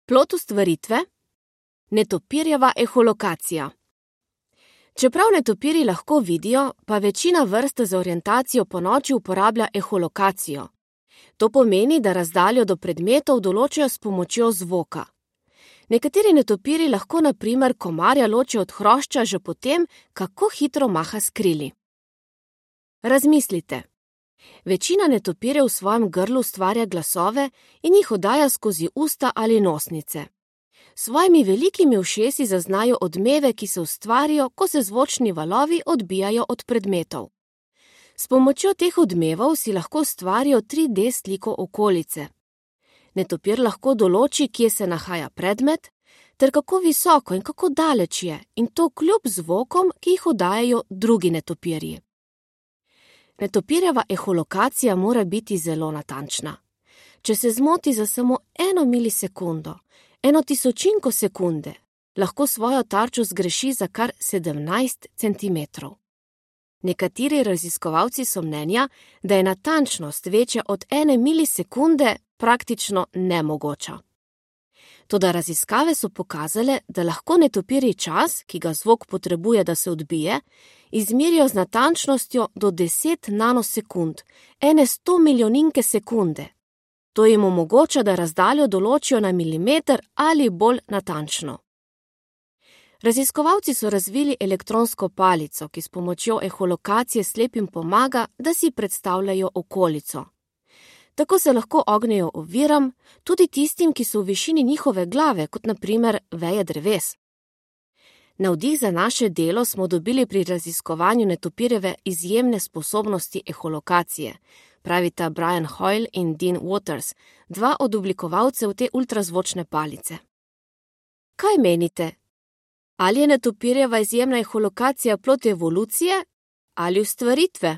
Plod ustvaritve – netopirjeva eholokacija. Čeprav netopirji lahko vidijo, pa večina vrst za orientacijo ponoči uporablja eholokacijo. To pomeni, da razdaljo do predmetov določijo s pomočjo zvoka. Nekateri netopirji lahko na primer komarja ločijo od hrošča že potem, kako hitro maha s krili. Razmislite. Večina netopirjev v svojem grlu ustvarja glasove in jih oddaja skozi usta ali nosnice. S svojimi velikimi ušesi zaznajo odmeve, ki se ustvarijo, ko se zvočni valovi odbijajo od predmetov. S pomočjo teh odmevov si lahko ustvarijo 3D sliko okolice. Netopir lahko določi, kje se nahaja predmet, ter kako visoko in kako daleč je, in to kljub zvokom, ki jih oddajajo drugi netopirji. Netopirjeva eholokacija mora biti zelo natančna. Če se zmoti za samo 1 milisekundo, 1/1000 sekunde, lahko svojo tarčo zgreši za kar 17 centimetrov. Nekateri raziskovalci so mnenja, da je natančnost večja od 1 milisekunde praktično nemogoča. Toda raziskave so pokazale, da lahko netopirji čas, ki ga zvok potrebuje, da se odbije, izmerijo z natančnostjo do 10 nanosekund, 1/100 milijoninke sekunde. To jim omogoča, da razdaljo določijo na milimeter ali bolj natančno. Raziskovalci so razvili elektronsko palico, ki s pomočjo eholokacije slepim pomaga, da si predstavljajo okolico. Tako se lahko ognejo oviram, tudi tistim, ki so v višini njihove glave, kot na primer veje dreves. Navdih za naše delo smo dobili pri raziskovanju netopirjeve izjemne sposobnosti eholokacije, pravita Brian Hoyle in Dean Waters, 2 od oblikovalcev te ultrazvočne palice. Kaj menite? Ali je netopirjeva izjemna eholokacija plod evolucije ali ustvaritve?